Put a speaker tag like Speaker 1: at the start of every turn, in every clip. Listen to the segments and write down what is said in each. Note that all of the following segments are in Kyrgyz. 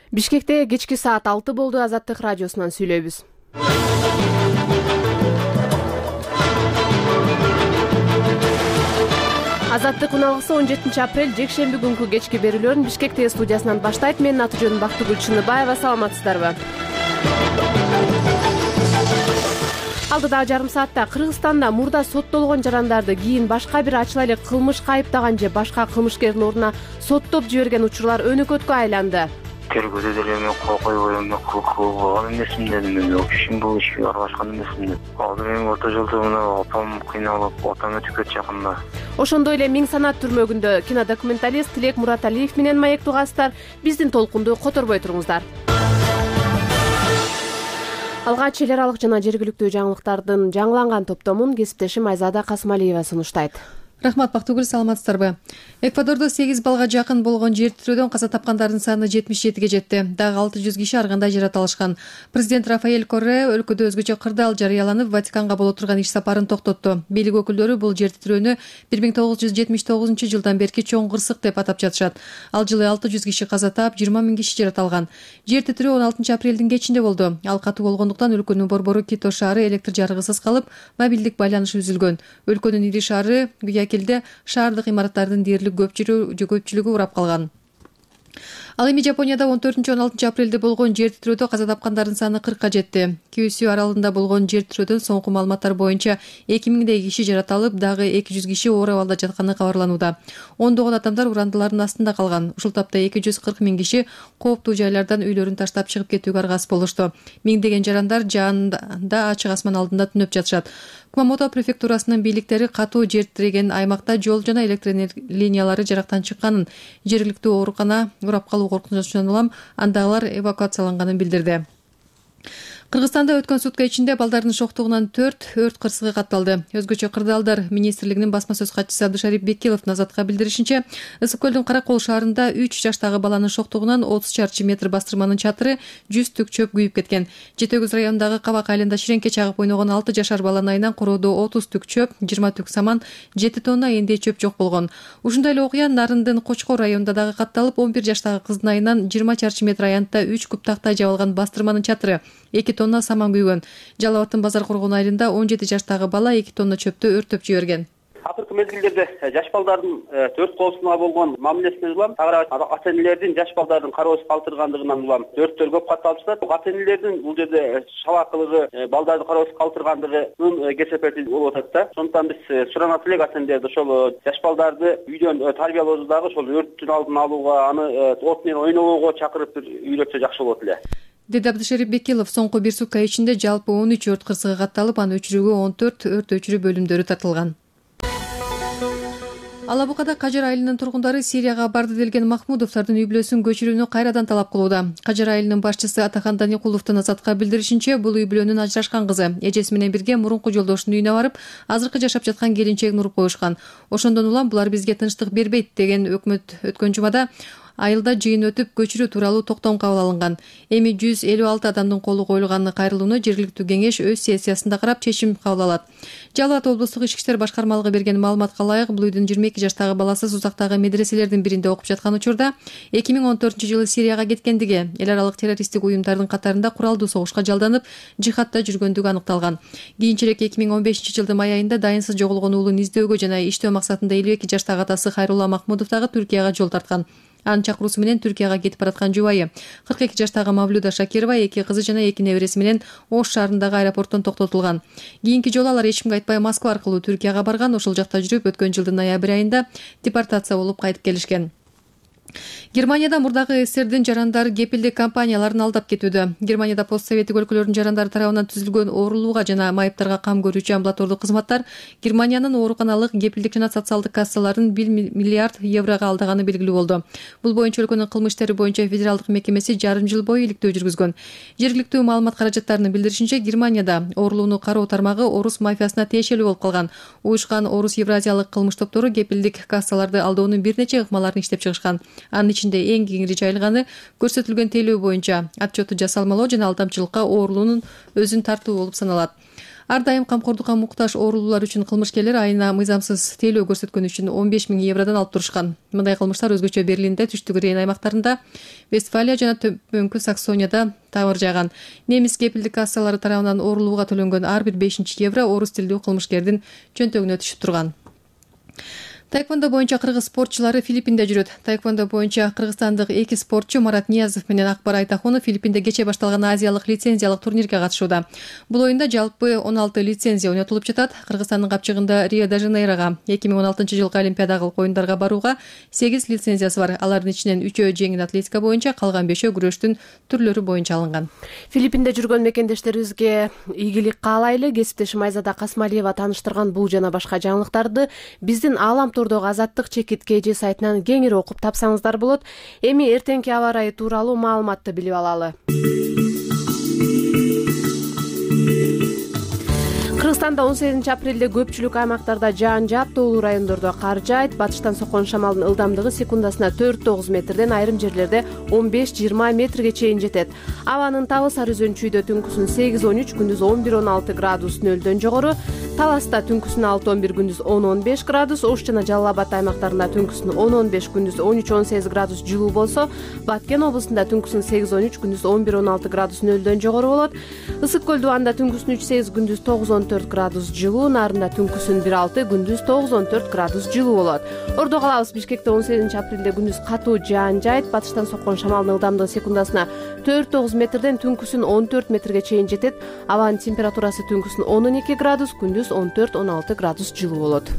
Speaker 1: Бишкекте кечки саат 6 болду. Азаттык радиосунан сүйлөйбүз. Азаттык уналгысы 17 апрель жекшемби күнкү кечки берүүлөрүн Бишкек ТВ студиясынан баштайт. Менин аты-жөнүм Бактыгүл Чыныбаева. Саламатсыздарбы? Алдыдагы жарым саатта Кыргызстанда мурда соттолгон жарандарды кийин башка бир ачыла эле кылмышка айыптаган же башка кылмышкердин ордуна соттоп жиберген учурлар өнөкөткө айланды.
Speaker 2: Тергөөдө деле мен кол койбой эмне кылган эмесмин дедим. Мен ишим бул ишке аралашкан эмесмин деп. Азыр эми орто жолдо мына апам кыйналып, атам өтүп кетти жакында.
Speaker 1: Ошондой эле Миң санат түрмөгүндө кинодокументалист Тилек Мураталиев менен маектугасыздар. Биздин толкунду которбой туруңуздар. Алгач эл аралык жана жергиликтүү жаңылыктардын жаңыланган топтомун кесиптешим Айзада Касымалиева сунуштайт.
Speaker 3: Рахмат, Бактыгүл, саламатсыздарбы? Эквадордо 8 балга жакын болгон жер тирөөдөн каза тапкандардын саны 77ге жетти. Дагы 600 киши ар кандай жаратылышкан. Президент Рафаэль Корреа өлкөдө өзгөчө кырдаал жарыяланып, Ватиканга боло турган иш сапарын токтотту. Бийлик өкүлдөрү бул жер тирөөнү 1979-жылдан берки чоң кырсык деп атап жатышат. Ал жылы 600 киши каза таап, 20 000 киши жаратылган. Жер тирөө 16 апрелдин кечинде болду. Ал катуу болгондуктан өлкөнүн борбору Кито шаары электр жарыгысыз калып, мобилдик байланыш үзүлгөн. Өлкөнүн ири шаары Гуякилде шаардык имараттардын дээрлик көпчүлүгү урап калган. Ал эми Жапонияда 14-16 апрелде болгон жер тирөөдө каза тапкандардын саны 40ка жетти. Кюсю аралында болгон жер тирөөдөн соңку маалыматтар боюнча 2000 киши жаратылып, дагы 200 киши оор абалда жатканы кабарланууда. Ондогон адамдар урандылардын астында калган. Ушул тапта 240 000 киши кооптуу жайлардан үйлөрүн таштап чыгып кетүүгө аргасыз болушту. Миңдеген жарандар жаанда ачык асман алдында түнөп жатышат. Кумамото префектурасынын бийликтери катуу жер тиреген аймакта жол жана электр линиялары жарактан чыкканын, жергиликтүү оорукана урап калуу коркунучунан улам андагылар эвакуацияланганын билдирди. Кыргызстанда өткөн сутка ичинде балдардын шоктугунан 4 өрт кырсыгы катталды. Өзгөчө кырдаалдар министрлигинин басма сөз катчысы Абдышарип Бекиловдун Азатка билдиришинче, Ысык көлдүн Каракол шаарында 3 жаштагы баланын шоктугунан 30 чарчы метр бастырманын чатыры 100 түк чөп күйүп кеткен. Жети Өгүз районундагы Кабак айылында ширеңке чагып ойногон 6 жашар баланын айынан короодо 30 түк чөп, 20 түк саман, 7 тонна эндей чөп жок болгон. Ушундай эле окуя Нарындын Кочкор районунда дагы катталып, 11 жаштагы кыздын айынан 20 чарчы метр аянтта 3 куб тактай жабылган бастырманын чатыры, 2 тонна саман күйгөн. Жалал Абадтын Базар Коргон айылында 17 жаштагы бала 2 тонна чөптү өртөп жиберген.
Speaker 4: Акыркы мезгилдерде жаш балдардын төрт коосуна болгон мамилесинен улам ата энелердин жаш балдардын кароосуз калтыргандыгынан улам өрттөр көп катталып жатат. Ата энелердин бул жерде шабакылыгы, балдарды кароосуз калтыргандыгынын кесепети болуп атат да. Ошондуктан биз суранат элек ата энелерди ошол жаш балдарды үйдөн тарбиялоодо дагы ошол өрттүн алдын алууга, аны от менен ойнобоого чакырып үйрөтсө жакшы болот эле,
Speaker 3: деди Абдышарип Бекилов. Соңку бир сутка ичинде жалпы 13 өрт кырсыгы катталып, анын өчүрүүгө 14 өрт өчүрүү бөлүмдөрү тартылган. Ала Букада Кажыр айылынын тургундары Сирияга барды делген Махмудовдордун үй бүлөсүн көчүрүүнү кайрадан талап кылууда. Кажыр айылынын башчысы Атахан Даникуловдун Азатка билдиришинче, бул үй бүлөнүн ажырашкан кызы эжеси менен бирге мурунку жолдошунун үйүнө барып, азыркы жашап жаткан келинчегин уруп коюшкан. Ошондон улам булар бизге тынчтык бербейт деген өкмөт өткөн жумада айылда жыйын өтүп, көчүрүү тууралуу токтом кабыл алынган. Эми 156 адамдын колу коюлган кайрылууну жергиликтүү кеңеш өз сессиясында карап чечим кабыл алат. Жалал Абад облустук ички иштер башкармалыгы берген маалыматка ылайык, бул үйдүн 22 жаштагы баласы Узактагы медреселердин биринде окуп жаткан учурда 2014-жылы Сирияга кеткендиги, эл аралык террористтик уюмдардын катарында куралдуу согушка жалданып, жихадта жүргөндүгү аныкталган. Кийинчерээк 2015-жылдын май айында дайынсыз жоголгон уулун издөөгө жана иштөө максатында 52 жаштагы атасы Хайрулла Махмудов дагы Түркияга жол тарткан. Анын чакыруусу менен Түркияга кетип бараткан жубайы 42 жаштагы Мавлюда Шакирова 2 кызы жана 2 небереси менен Ош шаарындагы аэропорттон токтотулган. Кийинки жолу алар эч кимге айтпай Москва аркылуу Түркияга барган. Ошол жакта жүрүп, өткөн жылдын ноябрь айында депортация болуп кайтып келишкен. Германияда мурдагы СССРдин жарандары кепилдик компанияларын алдап кетүүдө. Германияда постсоветтик өлкөлөрдүн жарандары тарабынан түзүлгөн оорулууга жана майыптарга кам көрүүчү амбулатордук кызматтар Германиянын ооруканалык кепилдик жана социалдык кассаларын 1 миллиард еврого алдаганы белгилүү болду. Бул боюнча өлкөнүн кылмыш иштери боюнча федералдык мекемеси жарым жыл бою иликтөө жүргүзгөн. Жергиликтүү маалымат каражаттарынын билдиришинче, Германияда оорулууну кароо тармагы орус мафиясына тиешелүү болуп калган. Уюшкан орус евразиялык кылмыш топтору кепилдик кассаларды алdoonун бир нече ыкмаларын иштеп чыгышкан. Анын ичинде эң кеңири жайылганы көрсөтүлгөн тейлөө боюнча отчету жасалмалоо жана алдамчылыкка оорулуунун өзүн тартуу болуп саналат. Ар дайым камкордукка муктаж оорулуулар үчүн кылмышкерлер айына мыйзамсыз тейлөө көрсөткөн үчүн 15 000 евродон алып турушкан. Мындай кылмыштар өзгөчө Берлинде, Түштүк Рейн аймактарында, Вестфалия жана Төмөнкү Саксонияда табыр жайган. Немис кепилдик кассалары тарабынан оорулууга төлөнгөн ар бир 5 евро орус тилдүү кылмышкердин чөнтөгүнө түшүп турган. Таэквондо боюнча кыргыз спортчулары Филиппинде жүрөт. Таэквондо боюнча кыргызстандык 2 спортчу Марат Ниязов менен Акбар Айтахунов Филиппинде кече башталган азиялык лицензиялык турнирге катышууда. Бул оюнда жалпы 16 лицензия ойнотулуп жатат. Кыргызстандын капчыгында Рио-де-Жанейрого 2016-жылкы Олимпиадалык оюндарга барууга 8 лицензиясы бар. Алардын ичинен 3-өө жеңил атлетика боюнча, калган 5-өө күрөштүн түрлөрү боюнча алынган.
Speaker 1: Филиппинде жүргөн мекендештерибизге ийгилик каалайлы. Кесиптешим Айзада Касмалиева тааныштырган бул жана башка жаңылыктарды биздин Аалам Тордогу Азаттык чекит КЖ сайтынан кеңири окуп тапсаңыздар болот. Эми эртеңки аба ырайы тууралуу маалыматты билип алалы. Кыргызстанда 18 апрелде көпчүлүк аймактарда жаан жаап, тоолуу райондордо кар жаайт. Батыштан соккон шамалдын ылдамдыгы секундасына 4-9 метрден, айрым жерлерде 15-20 метрге чейин жетет. Абанын табы Сары Өзөн-Чүйдө түнкүсүн 8-13, күндүз 11-16 градус нөлдөн жогору. Таласта түнкүсүн 6-11, күндүз 10-15 градус. Ош жана Жалал Абад аймактарында түнкүсүн 10-15, күндүз 13-18 градус жылуу болсо, Баткен облусунда түнкүсүн 8-13, күндүз 11-16 градус нөлдөн жогору болот. Ысык көл Дубанда түнкүсүн 3-8, күндүз 9-14 градус жылуу, Нарында түнкүсүн 1-6, күндүз 9-14 градус жылуу болот. Ордо калабыз. Бишкекте 18 апрелде күндүз катуу жаан жайт. Батыштан соккон шамалдын ылдамдыгы секундасына 4-9 метрден, түнкүсүн 14 метрге чейин жетет. Абанын температурасы түнкүсүн 12 градус, күндүз 14-16 градус жылуу болот.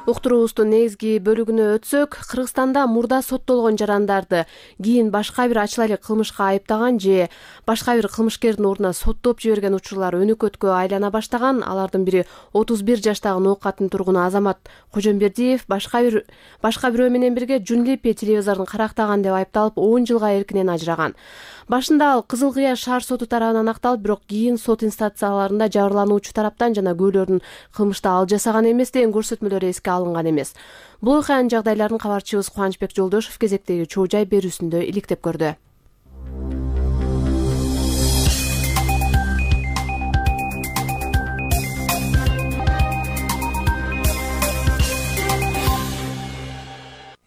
Speaker 1: Уктуруубуздун негизги бөлүгүнө өтсөк, Кыргызстанда мурда соттолгон жарандарды кийин башка бир ачыла элек кылмышка айыптаган же башка бир кылмышкердин ордуна соттоп жиберген учурлар өнөкөткө айлана баштаган. Алардын бири 31 жаштагы Ноокаттын тургуну Азамат Кожомбердиев башка бирөө менен бирге Жунлипе телевизорун карактаган деп айыпталып 10 жылга эркинен ажыраган. Башында ал Кызыл Кыя шаар соту тарабынан акталып, бирок кийин сот инстанцияларында жабырлануучу тараптан жана күбөлөрдүн кылмышты ал жасаган эмес деген көрсөтмөлөр эске алынган эмес. Бул окуянын жагдайларын кабарчыбыз Кубанычбек Жолдошов кезектеги чоо жай берүүсүндө иликтеп көрдү.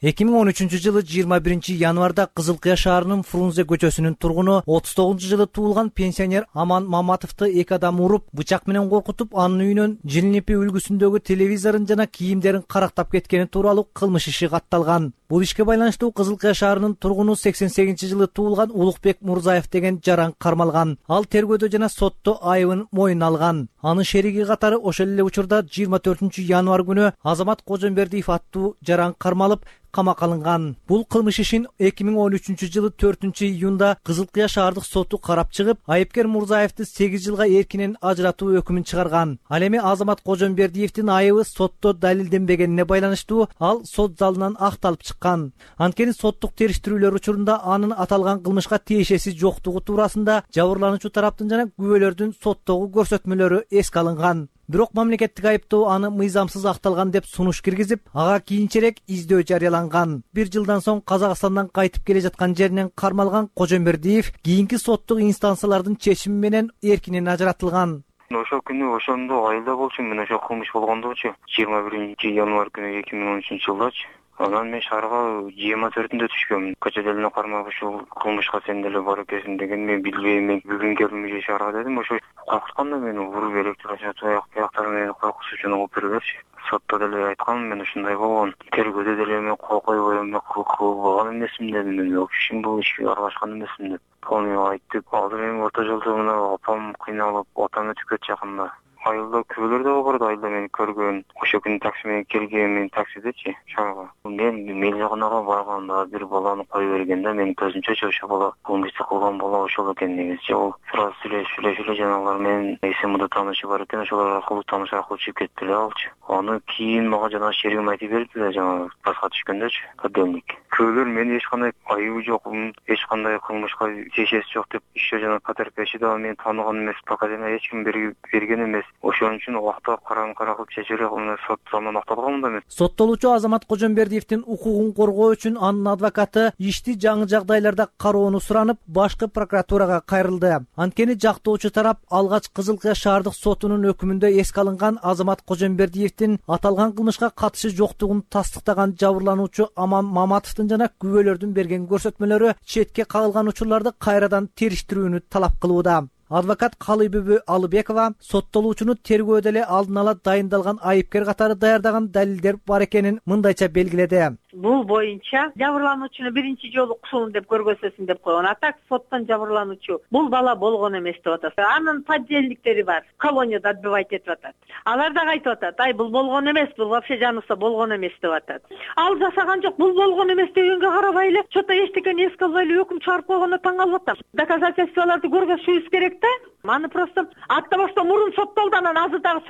Speaker 5: Эки миң 13 жылы 21 январда Кызыл Кыя шаарынын Фрунзе көчөсүнүн тургуну 39 жылы туулган пенсионер Аман Маматовду эки адам уруп, бычак менен коркутуп, анын үйүнөн Жилнипи үлгүсүндөгү телевизорун жана кийимдерин карактап кеткени тууралуу кылмыш иши катталган. Бул ишке байланыштуу Кызыл Кыя шаарынын тургуну 88 жылы туулган Улукбек Мурзаев деген жаран кармалган. Ал тергөөдө жана сотто айыбын мойнуна алган. Анын шериги катары ошол эле учурда 24 январь күнү Азамат Кожомбердиев аттуу жаран кармалып, камакка алынган. Бул кылмыш ишин 2013 жылы 4 июнда Кызыл Кыя шаардык соту карап чыгып, айыпкер Мурзаевди 8 жылга эркинен ажыратуу өкүмүн чыгарган. Ал эми Азамат Кожомбердиевдин айыбы сотто далилденбегенине байланыштуу ал сот залынан акталып чыккан. Анткени соттук териштирүүлөр учурунда анын аталган кылмышка тиешеси жоктугу туурасында жабырлануучу тараптын жана күбөлөрдүн соттогу көрсөтмөлөрү эске алынган. Бирок мамлекеттик айыптоо аны мыйзамсыз акталган деп сунуш киргизип, ага кийинчерээк издөө жарыяланган. Бир жылдан соң Казакстандан кайтып келе жаткан жеринен кармалган Кожомбердиев кийинки соттук инстанциялардын чечими менен эркинен ажыратылган.
Speaker 2: Ошол күнү ошондо айылда болчумун, мен ошо кылмыш болгондочу 21 январь күнү 2013 жылдачы. Анан мен шаарга 24-ндө түшкөмүн. Көчөдө эле кармап ушул кылмышка сен деле бар экенсиң деген мен билбейм. Мен бүгүн келдим же шаарга дедим. Ошо коркутканда мени уруп электрошокер аяктары менен коркутуп үчүн алып бергилерчи. Сотто деле айткам, мен ушундай болгон. Тергөөдө деле мен койбой болгон эмесмин дедим. Мен вообще бул ишке аралашкан эмесмин деп. Ал айтты. Азыр эми орто жолдо мына апам кыйналып, отам өтүп кетти жакында. Айылда күбөлөр да бар, айылда мени көргөн. Ошо күнү такси менен келген, мен таксидечи шаарга. Мен мелжагынага барганда бир баланы коюп берген да, менин көзүмчө ошо бала кылмышты кылган бала ошол экен негизи. Ол сразу сүйлөшүп жанагылар менен эсемде таанышы бар экен, ошолор аркылуу тааныш аркылуу чыгып кетти эле алчы. Аны кийин мага жана шеригим айтып берди да, жана баска түшкөндөчү, подельник. Күбөлөр мен эч кандай айыбы жок, эч кандай кылмышка тиешеси жок деп ишөө жана потерпевший да мени тааныган эмес, показания эч ким берген эмес. Ошон үчүн убакта карама-кара кылып чече бере сот залынан акталган да эмес.
Speaker 5: Соттолуучу Азамат Кожомбердиевдин укугун коргоо үчүн анын адвокаты ишти жаңы жагдайларда кароону суранып, башкы прокуратурага кайрылды. Анткени жактоочу тарап алгач Кызыл Кыя шаардык сотунун өкүмүндө эске алынган Азамат Кожомбердиевдин аталган кылмышка катышы жоктугун тастыктаган жабырлануучу Аман Маматовдун жана күбөлөрдүн берген көрсөтмөлөрү четке кагылган учурларды кайрадан териштирүүнү талап кылууда. Адвокат Калыйбүбү Алыбекова соттолуучуну тергөөдө эле алдын ала дайындалган айыпкер катары даярдаган далилдер бар экенин мындайча белгиледи.
Speaker 6: Бул боюнча жабырлануучуну биринчи жолу кусуун деп көргөзөсүн деп койгон. А так соттон жабырлануучу бул бала болгон эмес деп атат. Анын подельниктери бар, колонияда отбывать этип атат. Алар да айтып атат, ай бул болгон эмес, бул вообще жаныбызда болгон эмес деп атат. Ал жасаган жок, бул болгон эмес дегенге карабай эле что-то эчтекени эске албай эле өкүм чыгарып койгонуна таң калып атам. Доказательстволорду көргөзүшүбүз керек да. Аны просто атта башта мурун соттолду, анан азыр дагы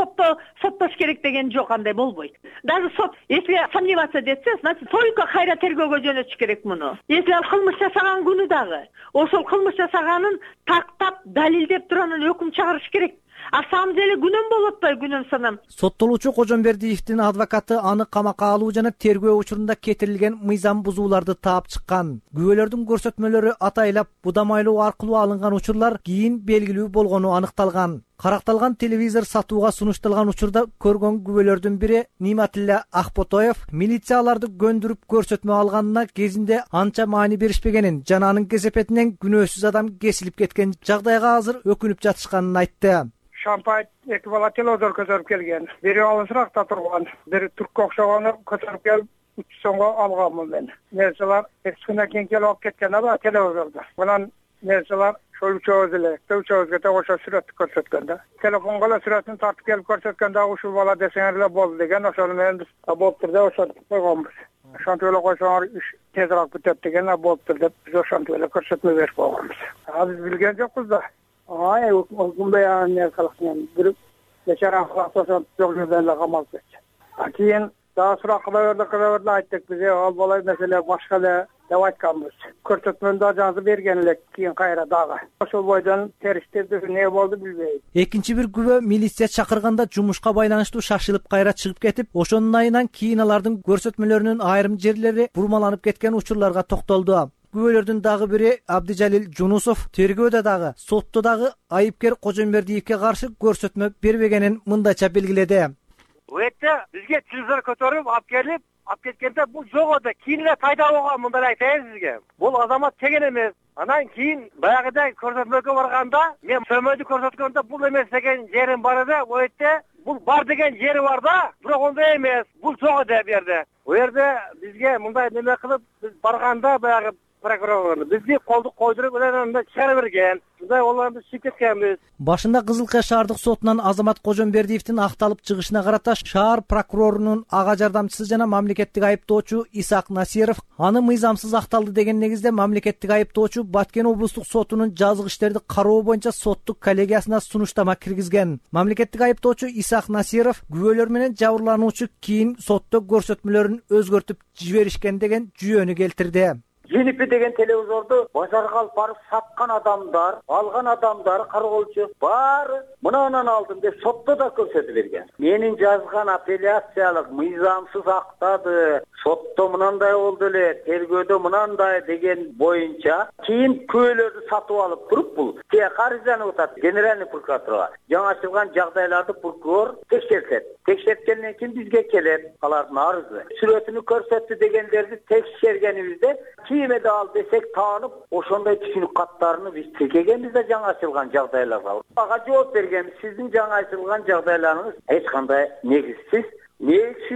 Speaker 6: соттош керек деген жок, андай болбойт. Даже сот, если сомневаться десе, значит, только кайра тергөөгө жөнөтүш керек муну. Если ал кылмыш жасаган күнү дагы, ошол кылмыш жасаганын тактап, далилдеп туруп анан өкүм чыгарыш керек. А самом деле күнөм болуп атпайбы, күнөм санам.
Speaker 5: Соттолуучу Кожомбердиевдин адвокаты аны камакка алуу жана тергөө учурунда кетирилген мыйзам бузууларды таап чыккан. Күбөлөрдүн көрсөтмөлөрү атайлап будамайлоо аркылуу алынган учурлар кийин белгилүү болгону аныкталган. Каракталган телевизор сатууга сунушталган учурда көргөн күбөлөрдүн бири Ниматилла Акботоев милицияларды көндүрүп көрсөтмө алганына кезинде анча маани беришпегенин жана анын кесепетинен күнөөсүз адам кесилип кеткен жагдайга азыр өкүнүп жатышканын айтты.
Speaker 7: Шампай эки бала телевизор көтөрүп келген. Бири алысыракта турган, бири туркка окшогону көтөрүп келип 3 сомго алганмын мен. Нерселер экскүнөн кийин келип алып кеткен ала телевизорду. Анан нерселер ошол үчөөбүзгө ошо сүрөттү көрсөткөн да. Телефонго эле сүрөтүн тартып келип көрсөткөн да ушул бала десеңер эле болду деген, ошону менен биз болуптур деп ошентип койгонбуз. Ошентип эле койсоңор иш тезирээк бүтөт деген болуптур деп биз ошентип эле көрсөтмө берип койгонбуз. Биз билген жокпуз да. Мындай не кылыксың, бир бечара ошентип жок жерден эле камалып кетти. Кийин дагы сурак кыла берди, айттык биз ал бала маселе башка эле деп айтканбыз. Көрсөтмөнү да жазып берген элек, кийин кайра дагы. Ошол бойдон териштирди, не болду билбейм.
Speaker 5: Экинчи бир күбө милиция чакырганда жумушка байланыштуу шашылып кайра чыгып кетип, ошонун айынан кийин алардын көрсөтмөлөрүнүн айрым жерлери бурмаланып кеткен учурларга токтолду. Күбөлөрдүн дагы бири Абдижалил Жунусов тергөөдө дагы, сотто дагы айыпкер Кожомбердиевке каршы көрсөтмө бербегенин мындайча белгиледи.
Speaker 8: Өтө бизге телевизор көтөрүп алып кеткенде бул жок эди. Кийин эле пайда болгон, мындай айтайын сизге. Бул Азамат деген эмес. Анан кийин баягыдай көрсөтмөгө барганда, мен сөмөдү көрсөткөндө бул эмес деген жерим бар эди. Өтө бул бар деген жери бар да, бирок ондай эмес. Бул жок эди бу жерде. Бу жерде бизге мындай неме кылып, биз барганда баягы прокурор бизди колду койдуруп анан чыгара берген. Мындай оларды чыгып кеткенбиз.
Speaker 5: Башында Кызыл Кыя шаардык сотунан Азамат Кожомбердиевдин акталып чыгышына карата шаар прокурорунун ага жардамчысы жана мамлекеттик айыптоочу Исак Насиров аны мыйзамсыз акталды деген негизде мамлекеттик айыптоочу Баткен облустук сотунун жазык иштерди кароо боюнча соттук коллегиясына сунуштама киргизген. Мамлекеттик айыптоочу Исак Насиров күбөлөр менен жабырлануучу кийин сотто көрсөтмөлөрүн өзгөртүп жиберишкен деген жүйөнү келтирди.
Speaker 9: Jennifer деген телевизорду базарга алып барып саткан адамдар, алган адамдар, кароолчу баары мынанан алдым деп сотто да көрсөтүп берген. Менин жазган апелляциялык мыйзамсыз актады, сотто мынандай болду эле, тергөөдө мынандай деген боюнча кийин күбөлөрдү сатып алып туруп бул арызданып атат генеральный прокуратурага. Жаңы ачылган жагдайларды прокурор текшертет. Текшерткенден кийин бизге келет алардын арызы. Сүрөтүнү көрсөттү дегендерди текшергенибизде кийиме да ал десек таанып, ошондой түшүнүк каттарını биз текегенбиз да жаңы ачылган жагдайларга. Ага жооп бергенбиз. Сиздин жаңы ачылган жагдайларыңыз эч кандай негизсиз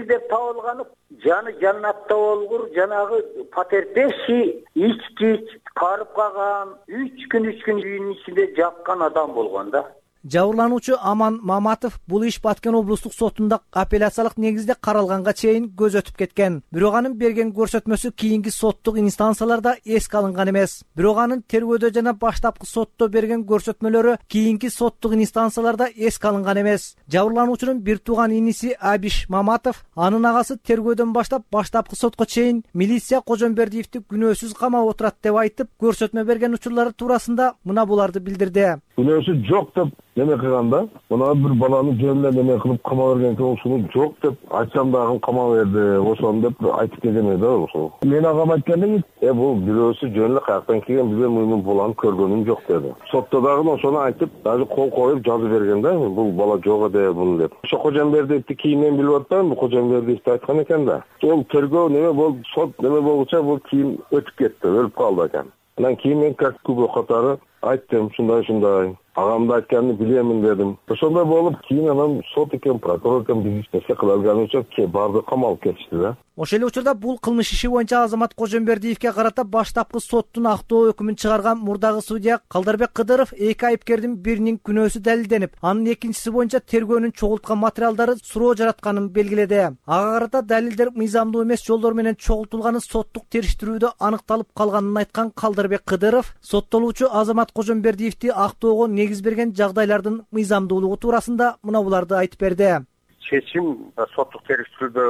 Speaker 9: деп табылганы, жаны жаннатта болгур, жанагы потерпевший ичкич, карып калган, 3 күн үйүнүн ичинде жаткан адам болгон да.
Speaker 5: Жабырлануучу Аман Маматов бул иш Баткен облустук сотунда апелляциялык негизде каралганга чейин көз өтүп кеткен. Бирок анын берген көрсөтмөсү кийинки соттук инстанцияларда эске алынган эмес. Бирок анын тергөөдө жана баштапкы сотто берген көрсөтмөлөрү кийинки соттук инстанцияларда эске алынган эмес. Жабырлануучунун бир тууган иниси Абиш Маматов анын агасы тергөөдөн баштап баштапкы сотко чейин милиция Кожомбердиевди күнөөсүз камап отурат деп айтып, көрсөтмө берген учурлары туурасында мына буларды билдирди.
Speaker 10: Күнөөсү жок деп неме кылганда мына бир баланы жөн менен неме кылып кама берген экен, ушуну жок деп айтсам дагы кама берди ошону деп айтып кетеме да. Ошол мен агам айткан бул бирөөсү жөн эле каяктан келген, биз муну баланы көргөнүм жок деди. Сотто дагы ошону айтып даже кол коюп жазып берген да, бул бала жок эде бул деп. Ошо Кожомбердиевди кийинен билип атпайм, бул Кожомбердиевди айткан экен да. Ол тергөө неме болуп, сот неме болгуча бул кийин өтүп кетти, өлүп калды экен. Анан кийин мен как күбө катары айттым, ушундай агамды айтканын билемин дедим. Ошондой болуп кийин анан сот экен, прокурор экен биз эсе кыла алган үчүн барды камалып кетишти да.
Speaker 5: Ошол эле учурда бул кылмыш иши боюнча Азамат Кожомбердиевге карата баштапкы соттун актоо өкүмүн чыгарган мурдагы судья Калдарбек Кыдыров эки айыпкердин биринин күнөөсү далилденип, анын экинчиси боюнча тергөөнүн чогулткан материалдары суроо жаратканын белгиледи. Ага карата далилдер мыйзамдуу эмес жолдор менен чогултулганы соттук териштирүүдө аныкталып калганын айткан Калдарбек Кыдыров соттолуучу Азамат Кожомбердиевди актоого негиз берген жагдайлардын мыйзамдуулугу туурасында мына буларды айтып берди.
Speaker 11: Чечим соттук териштирүүдө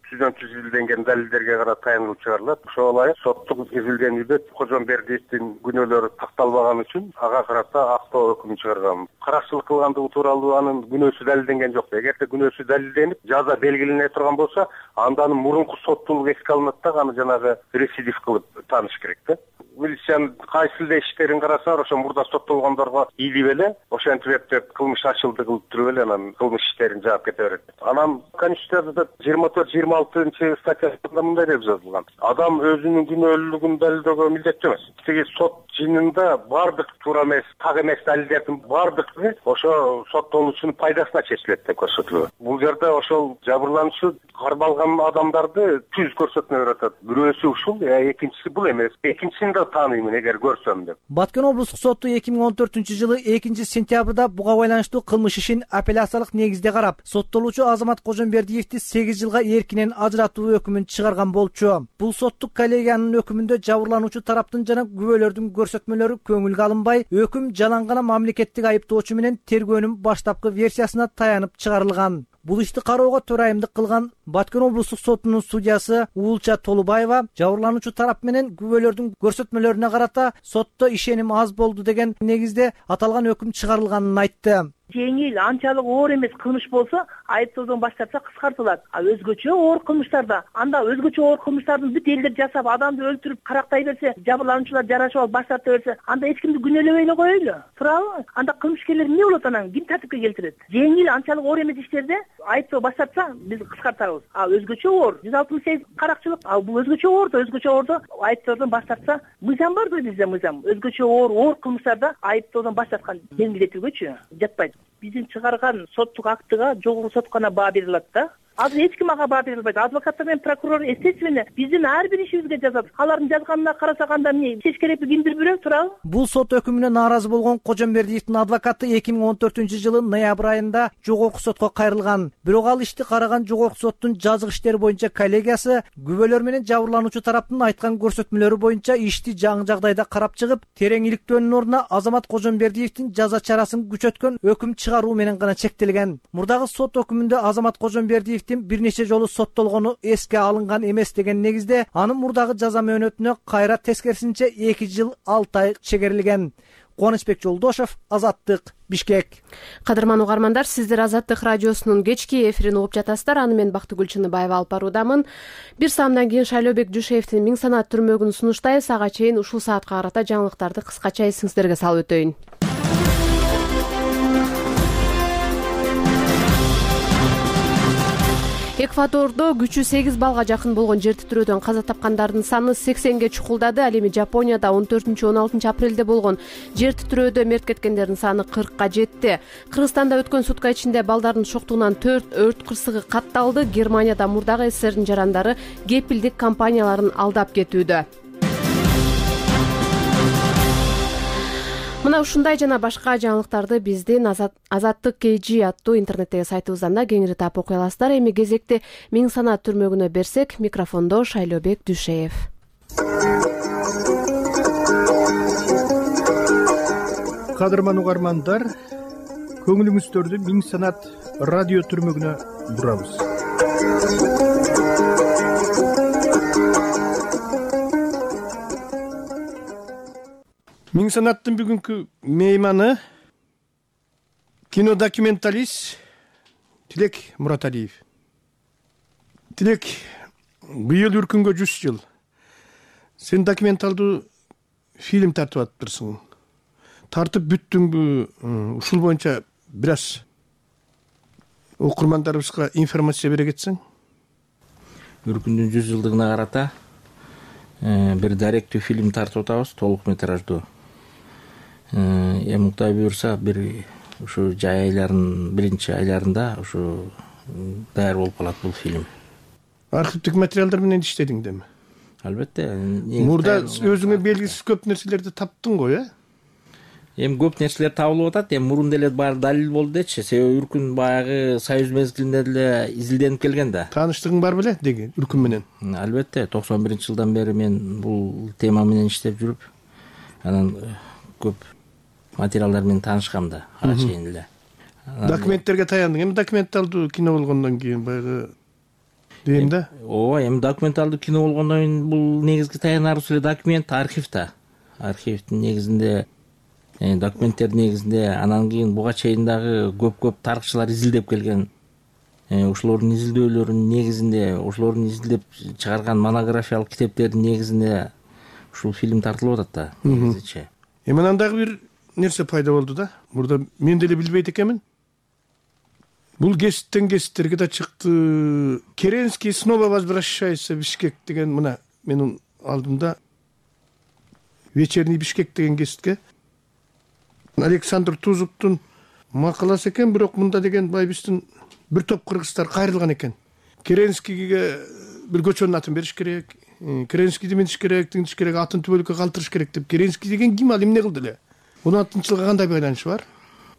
Speaker 11: түздөн түз изилденген далилдерге карата таянылып чыгарылат. Ошого ылайык соттук изилденүүдө Кожомбердиевдин күнөөлөрү такталбаган үчүн ага карата актоо өкүмүн чыгаргам. Каракчылык кылгандыгы тууралуу анын күнөөсү далилденген жок. Эгерде күнөөсү далилденип, жаза белгилене турган болсо, анда анын мурунку соттуулугу эске алынат да, аны жанагы рецидив кылып тааныш керек да. Милициянын кайсы эле иштерин караса, ошо мурда соттолгондорго ийилип эле, ошентип эптеп кылмыш ачылды кылып туруп эле анан кылмыш иштерин жаап кете берет. Анан Конституцияда 24-26 статьясында мындай деп жазылган: адам өзүнүн күнөөлүүлүгүн далилдөөгө милдеттүү эмес. Тиги сот жыйынында бардык туура эмес, так эмес далилдердин бардыгы ошо соттолуучунун пайдасына чечилет деп көрсөтүлөт. Бул жерде ошол жабырлануучу кармалган адамдарды түз көрсөтмө берип атат. Бирөөсү ушул, экинчиси бул эмес. Экинчисин да тааныймын эгер көрсөм деп.
Speaker 5: Баткен облустук соту 2014-жылы 2-сентябрда буга байланыштуу кылмыш ишин апелляциялык негизде карап, соттолуучу Азамат Кожомбердиевди 8 жылга эркинен ажыратуу өкүмүн чыгарган болчу. Бул соттук коллегиянын өкүмүндө жабырлануучу тараптын жана күбөлөрдүн көрсөтмөлөрү көңүлгө алынбай, өкүм жалаң гана мамлекеттик айыптоочу менен тергөөнүн баштапкы версиясына таянып чыгарылган. Бул ишти кароого төрайымдык кылган Баткен облустук сотунун судьясы Уулча Толубаева жабырлануучу тарап менен күбөлөрдүн көрсөтмөлөрүнө карата сотто ишеним аз болду деген негизде аталган өкүм чыгарылганын айтты.
Speaker 6: Жеңил, анчалык оор эмес кылмыш болсо, айыптоодон баш тартса кыскартылат. А өзгөчө оор кылмыштарда, анда өзгөчө оор кылмыштардын бүт элдер жасап, адамды өлтүрүп, карактай берсе, жабырлануучулар жарашып алып баш тарта берсе, анда эч кимди күнөөлөбөй эле коелу. Туурабы? Анда кылмышкерлер эмне болот анан? Ким тартипке келтирет? Жеңил, анчалык оор эмес иштерде айыптоо баш тартса, биз кыскартабыз. А өзгөчө оор 168 каракчылык, а бул өзгөчө оордо айыптоодон баш тартса, мыйзам бар да бизде мыйзам. Өзгөчө оор кылмыштарда айыптоодон баш тарткан белгилетүүгөчү жатпайт. Биздин чыгарган соттук актыга жогорку сот гана баа бере алат да. Азыр эч ким ага баа бере албайт. Адвокаттар менен прокурор естественно биздин ар бир ишибизге жазат. Алардын жазганына карасак анда эмне чеч керекпи, кимдир бирөө, туурабы?
Speaker 5: Бул сот өкүмүнө нааразы болгон Кожомбердиевдин адвокаты 2014-жылы ноябрь айында жогорку сотко кайрылган. Бирок ал ишти караган жогорку соттун жазык иштери боюнча коллегиясы күбөлөр менен жабырлануучу тараптын айткан көрсөтмөлөрү боюнча ишти жаңы жагдайда карап чыгып, терең иликтөөнүн ордуна Азамат Кожомбердиевдин жаза чарасын күчөткөн өкүм чыгаруу менен гана чектелген. Мурдагы сот өкүмүндө Азамат Кожомбердиев бир нече жолу соттолгону эске алынган эмес деген негизде анын мурдагы жаза мөөнөтүнө кайра тескерисинче 2 жыл 6 ай чегерилген. Кубанычбек Жолдошев, Азаттык, Бишкек.
Speaker 1: Кадырман угармандар, сиздер Азаттык радиосунун кечки эфирин угуп жатасыздар. Аны мен Бактыгүл Чыныбаева алып баруудамын. Бир саамдан кийин Шайлообек Дүйшеевдин Миң санат түрмөгүн сунуштайбыз. Ага чейин ушул саатка карата жаңылыктарды кыскача эсиңиздерге салып өтөйүн. Эквадордо күчү 8 балга жакын болгон жер титирөөдөн каза тапкандардын саны 80ге чукулдады. Ал эми Жапонияда 14-16 апрелде болгон жер титирөөдө мерт кеткендердин саны 40ка жетти. Кыргызстанда өткөн сутка ичинде балдардын шоктугунан 4 өрт кырсыгы катталды. Германияда мурдагы СССРдин жарандары кепилдик компанияларын алдап кетүүдө. Мына ушундай жана башка жаңылыктарды биздин Азаттык KG аттуу интернеттеги сайтыбыздан да кеңири таап окуй аласыздар. Эми кезекти Миң санат түрмөгүнө берсек, микрофондо Шайлообек Дүйшеев.
Speaker 12: Кадырман угармандар, көңүлүңүздөрдү Миң санат радио түрмөгүнө бурабыз. Миң санаттын бүгүнкү мейманы Кинодокументалист Тилек Мураталиев. Тилек, быйыл үркүнгө 100 жыл. Сен документалдуу фильм тартып атыптырсың. Тартып бүттүңбү? Ушул боюнча бир аз окурмандарыбызга информация бере кетсең.
Speaker 13: Үркүндүн 100 жылдыгына карата бир даректүү фильм тартып атабыз, толук метраждуу. Эми Кудай буйрса бир ушу жай айларынын биринчи айларында ушу даяр болуп калат бул фильм.
Speaker 12: Архивдик материалдар менен иштедиң деми?
Speaker 13: Албетте.
Speaker 12: Мурда өзүңө белгисиз көп нерселерди таптың го,
Speaker 13: Эми көп нерселер табылып атат. Эми мурун деле баары далил болду дечи. Себеби Үркүн баягы Союз мезгилинде деле изилденип келген да.
Speaker 12: Тааныштыгың бар беле деги Үркүн менен?
Speaker 13: Албетте. 91-жылдан бери мен бул тема менен иштеп жүрүп, анан көп материалдар менен таанышкам да, ага чейин эле.
Speaker 12: Документтерге таяндың. Эми документалдуу кино болгондон кийин баягы дейм да.
Speaker 13: Ооба, эми документалдуу кино болгондон кийин бул негизги таянарыбыз эле документ, архив да. Архивдин негизинде документтердин негизинде анан кийин буга чейин дагы көп тарыхчылар изилдеп келген. Ошолордун изилдөөлөрүнүн негизинде, ошолордун изилдеп чыгарган монографиялык китептердин негизинде ушул фильм тартылып атат да, негизичи.
Speaker 12: Эми анан дагы бир нерсе пайда болду да. Мурда мен деле билбейт экенмин. Бул гезиттерге да чыкты. Керенский снова возвращается в Бишкек деген мына менин алдымда вечерний Бишкек деген гезитке Александр Тузуктун макаласы экен, бирок мында деген байбиздин бир топ кыргыздар кайрылган экен. Керенскийге бир көчөнүн атын бериш керек, Керенскийди минтиш керек, тиңдиш керек, атын түбөлүккө калтырыш керек деп. Керенский деген ким, ал эмне кылды эле? 16-жылга кандай байланышы бар?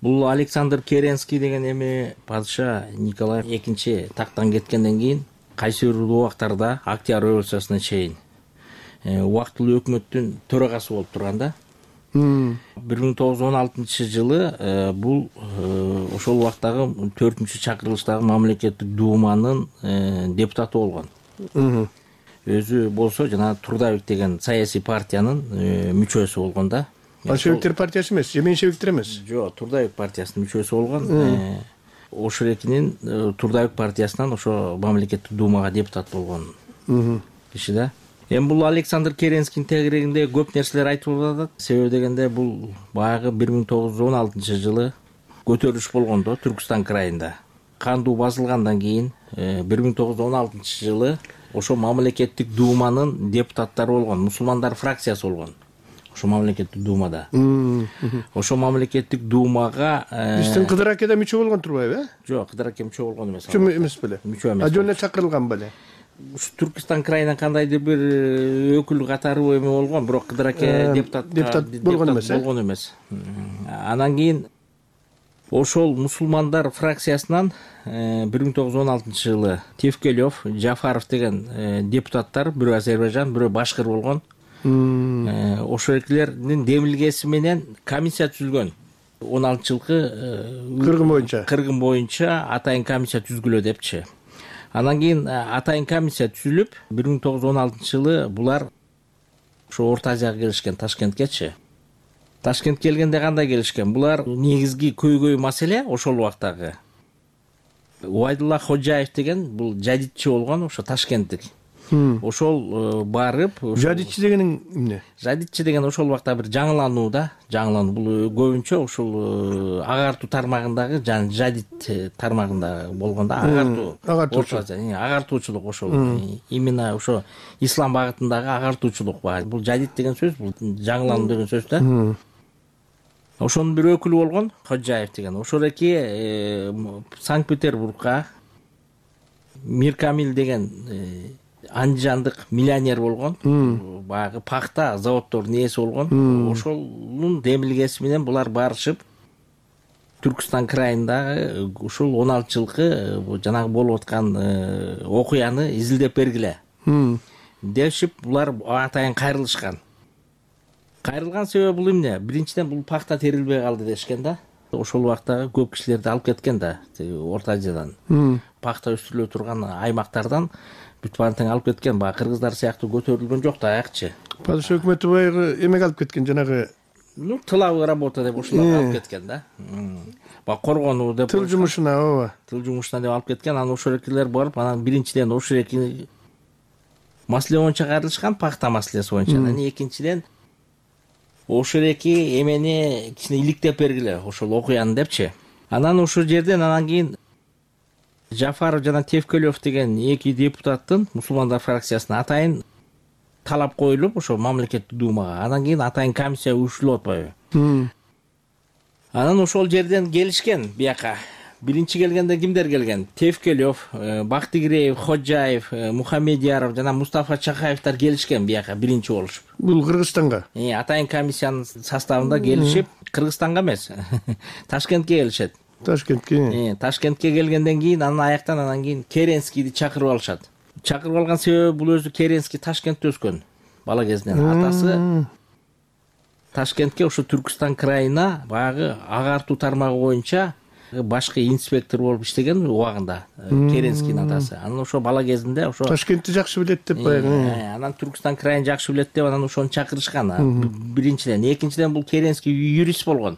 Speaker 13: Бул Александр Керенский деген эми падыша Николай II тактан кеткенден кийин кайсы бир убактарда Октябрь революциясына чейин убактылуу өкмөттүн төрагасы болуп турган да. 1916-жылы бул ошол убактагы 4-чакырылыштагы мамлекеттик думанын депутаты болгон. Өзү болсо жана Трудовик деген саясий партиянын мүчөсү болгон да.
Speaker 12: Большевиктер партиясы эмес, же меньшевиктер эмес?
Speaker 13: Жок, Трудовик партиясынын мүчөсү болгон. Ошорекинин Трудовик партиясынан ошо мамлекеттик думага депутат болгон киши да. Эми бул Александр Керенскийдин тегерегинде көп нерселер айтылып атат. Себеби дегенде бул баягы 1916-жылы көтөрүлүш болгондо Түркүстан крайында. Кандуу басылгандан кийин 1916-жылы ошо мамлекеттик думанын депутаттары болгон, мусулмандар фракциясы болгон. Ошо мамлекеттик думада. Ошо мамлекеттик думага
Speaker 12: биздин Кыдыр аке да мүчө болгон турбайбы,
Speaker 13: Жок, Кыдыр аке мүчө болгон эмес.
Speaker 12: Мүчө эмес беле?
Speaker 13: Мүчө эмес.
Speaker 12: Жөн эле чакырылган беле?
Speaker 13: Түркүстан крайынан кандайдыр бир өкүл катары эме болгон, бирок Кыдыр аке депутат болгон эмес. Анан кийин ошол мусулмандар фракциясынан 1916-жылы Тевкелев, Жафаров деген депутаттар, бирөө Азербайжан, бирөө Башкыр болгон. Ошол экилердин демилгеси менен комиссия түзүлгөн. 16-жылкы кыргын боюнча атайын комиссия түзгүлө депчи. Анан кийин атайын комиссия түзүлүп, 1916-жылы булар ошо Орто Азияга келишкен, Ташкенткечи. Ташкент келгенде кандай келишкен? Булар негизги көйгөй маселе ошол убактагы Убайдулла Ходжаев деген бул жадитчи болгон, ошо Ташкенттик. Ошол барып,
Speaker 12: жадитчи дегениң эмне?
Speaker 13: Жадитчи деген ошол убакта бир жаңылануу да, жаңылануу. Бул көбүнчө ошол агартуу тармагындагы, жадит тармагында болгондо агартуучулук ошол. Именно ошо ислам багытындагы агартуучулук бар. Бул жадит деген сөз, бул жаңылануу деген сөз да. Ошонун бир өкүлү болгон Ходжаев деген. Ошолеки Санкт-Петербургга Миркамил деген андижандык миллионер болгон, баягы пахта заводдордун ээси болгон. Ошонун демилгеси менен булар барышып Түркүстан крайындагы ушул 16-жылкы жанагы болуп аткан окуяны изилдеп бергиле дешип, булар атайын кайрылышкан. Кайрылган себеби бул эмне? Биринчиден бул пахта терилбей калды дешкен да. Ошол убактагы көп кишилерди алып кеткен да, Орто Азиядан. Пахта өстүрүлө турган аймактардан бүт баарын тең алып кеткен. Баягы кыргыздар сыяктуу көтөрүлгөн жок да аякчы.
Speaker 12: Падыша өкмөтү баягы эмеге алып кеткен, жанагы
Speaker 13: Ну, тыловая работа деп ушуларга алып кеткен да. Баягы коргонуу деп.
Speaker 12: Тыл жумушуна, ооба.
Speaker 13: Тыл жумушуна деп алып кеткен. Анан ошол экилер барып, анан биринчиден ошол эки маселе боюнча кайрылышкан, пахта маселеси боюнча. Анан экинчиден ошол эки эмени кичине иликтеп бергиле, ошол окуяны депчи. Анан ошол жерден анан кийин Жафаров жана Тевкелев деген эки депутаттын мусулмандар фракциясына атайын талап коюлуп, ошо мамлекеттик думага. Анан кийин атайын комиссия уюштурулуп атпайбы. Анан ошол жерден келишкен бияка. Биринчи келгенде кимдер келген? Тевкелев, Бактыгиреев, Ходжаев, Мухамедияров жана Мустафа Чакаевдер келишкен бияка биринчи болушуп.
Speaker 12: Бул Кыргызстанга.
Speaker 13: Атайын комиссиянын составында келишип, Кыргызстанга эмес, Ташкентке келишет. Ташкентке келгенден кийин анан кийин Керенскийди чакырып алышат. Чакырып алган себеби бул өзү Керенский Ташкентте өскөн бала кезинен. Атасы Ташкентке ошо Түркүстан крайына баягы агартуу тармагы боюнча башкы инспектор болуп иштеген убагында Керенскийдин атасы. Анан ошо бала кезинде ошо
Speaker 12: Ташкентти жакшы билет деп баягы.
Speaker 13: Анан Түркүстан крайын жакшы билет деп анан ошону чакырышкан. Биринчиден, экинчиден бул Керенский юрист болгон.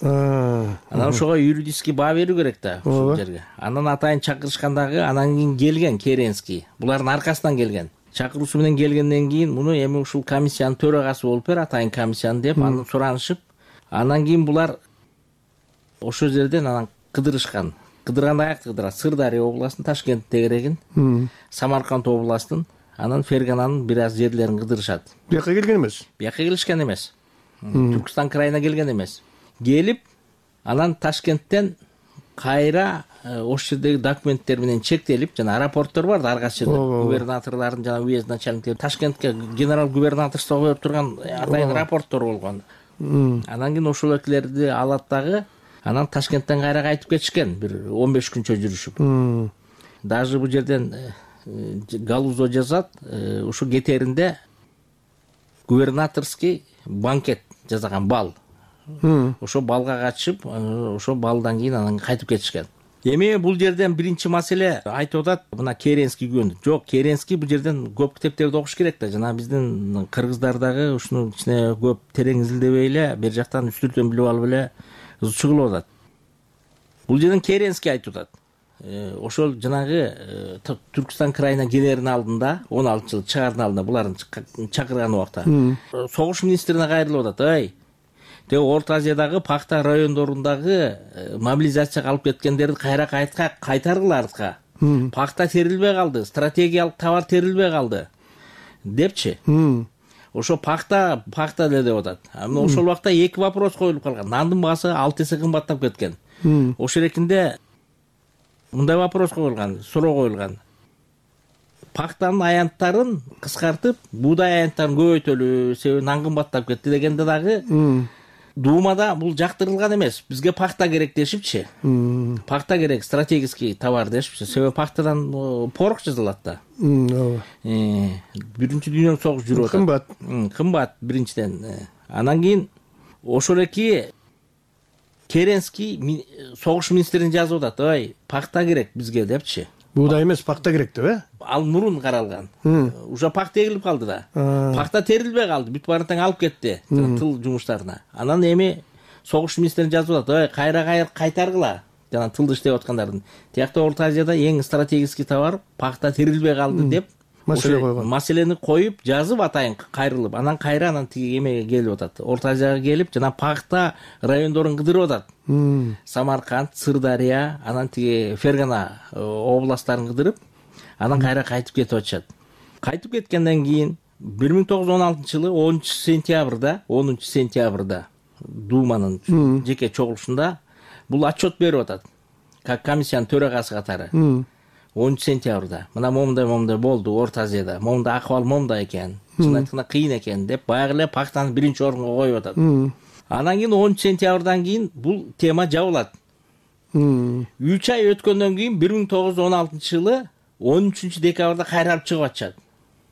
Speaker 13: Анан ошого юридический баа берүү керек да ушул жерге. Анан атайын чакырышкандагы, анан кийин келген Керенский. Булардын аркасынан келген. Чакыруусу менен келгенден кийин муну эми ушул комиссиянын төрагасы болуп бер, атайын комиссиянын деп анан суранышып, анан кийин булар ошол жерден анан кыдырышкан. Кыдырганда каякта кыдырат? Сырдария областынын Ташкент тегерегин, Самарканд областынын, анан Фергананын бир аз жерлерин кыдырышат.
Speaker 12: Бияка келген эмес?
Speaker 13: Бияка келишкен эмес. Түркүстан крайына келген эмес. Келип, анан Ташкенттен кайра ошол жердеги документтер менен чектелип, жана аэропорттор бар да ар кайсы жерде, губернаторлордун жана уезд начальниктери Ташкентке генерал губернаторство коюп турган атайын аэропорттор болгон. Анан кийин ошол экилерди алат дагы, анан Ташкенттен кайра кайтып кетишкен, бир 15 күнчө жүрүшүп. Даже бул жерден Галузо жазат, ушу кетеринде губернаторский банкет жасаган бал. Ошо балга катышып, ошо балдан кийин анан кайтып кетишкен. Эми бул жерден биринчи маселе айтып атат, мына Керенский күн. Жок, Керенский бул жерден көп китептерди окуш керек да. Жана биздин кыргыздар дагы ушуну ичине көп терең изилдебей эле, бер жактан үстүртөн билип алып эле чыгылып атат. Бул жерден Керенский айтып атат. Ошол жанагы Түркүстан крайына келердин алдында, 16-жыл чыгаардын алдында булардын чакырган убакта согуш министрине кайрылып атат. Ай, Орто Азиядагы пахта райондорундагы мобилизацияга алып кеткендерди кайра кайтаргыла артка. Пахта терилбей калды, стратегиялык товар терилбей калды депчи. Ошо пахта эле деп атат. Ошол убакта эки вопрос коюлуп калган. Нандын баасы 6 эсе кымбаттап кеткен. Ошол эркинде мындай вопрос коюлган, суроо коюлган. Пахтанын аянттарын кыскартып, буудай аянттарын көбөйтөлү, себеби нан кымбаттап кетти дегенде дагы Думада бул жактырылган эмес. Бизге пахта керек дешипчи. Пахта керек, стратегический товар дешипчи. Себеби пахтадан порох жасалат да. Биринчи дүйнөлүк согуш жүрүп атат. Кымбат биринчиден. Анан кийин ошол эки Керенский согуш министрин жазып атат. Ой, пахта керек бизге депчи.
Speaker 12: Буудай эмес, пахта керек деп,
Speaker 13: Ал мурун каралган. Уже пахта эгилип калды да. Пахта терилбей калды, бүт баарын тең алып кетти тыл жумуштарына. Анан эми согуш министрин жазып атат, ой, кайра кайтаргыла. Жана тылда иштеп аткандардын. Тиякта Орто Азияда эң стратегический товар пахта терилбей калды деп маселе койгон. Маселени коюп, жазып атайын кайрылып, анан кайра тиги эмеге келип атат. Орто Азияга келип, жана пахта райондорун кыдырып атат. Самарканд, Сырдария, анан тиги Фергана областтарын кыдырып, анан кайра кайтып кетип атышат. Кайтып кеткенден кийин 1916-жылы 10-сентябрда Думанын жеке чогулушунда бул отчет берип атат. Как комиссиянын төрагасы катары. 10-сентябрда. Мына момундай болду Орто Азияда. Момундай акыбал момундай экен. Чын кыйын экен деп баягы эле пахтаны биринчи орунга коюп атат. Анан кийин 10-сентябрдан кийин бул тема жабылат. 3 ай өткөндөн кийин 1916-жылы 13-декабрда кайра алып чыгып атышат.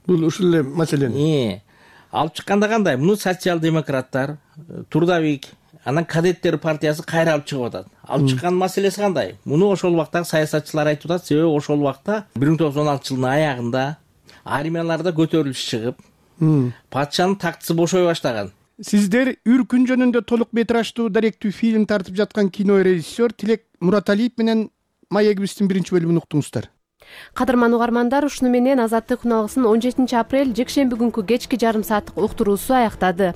Speaker 12: Бул ушул эле маселени.
Speaker 13: Алып чыкканда кандай? Муну социал-демократтар, Трудовик, анан кадеттер партиясы кайра алып чыгып атат. Алып чыккан маселеси кандай? Муну ошол убактагы саясатчылар айтып атат, себеби ошол убакта 1916-жылдын аягында армияларда көтөрүлүш чыгып, патшанын тактысы бошой баштаган.
Speaker 12: Сиздер Үркүн жөнүндө толук метраждуу даректүү фильм тартып жаткан кинорежиссер Тилек Мураталиев менен маегибиздин 1-бөлүмүн уктуңуздар.
Speaker 1: Кадырман угармандар, ушуну менен Азаттык күн алгысынын 17 апрель жекшемби күнкү кечки жарым сааттык уктуруусу аяктады.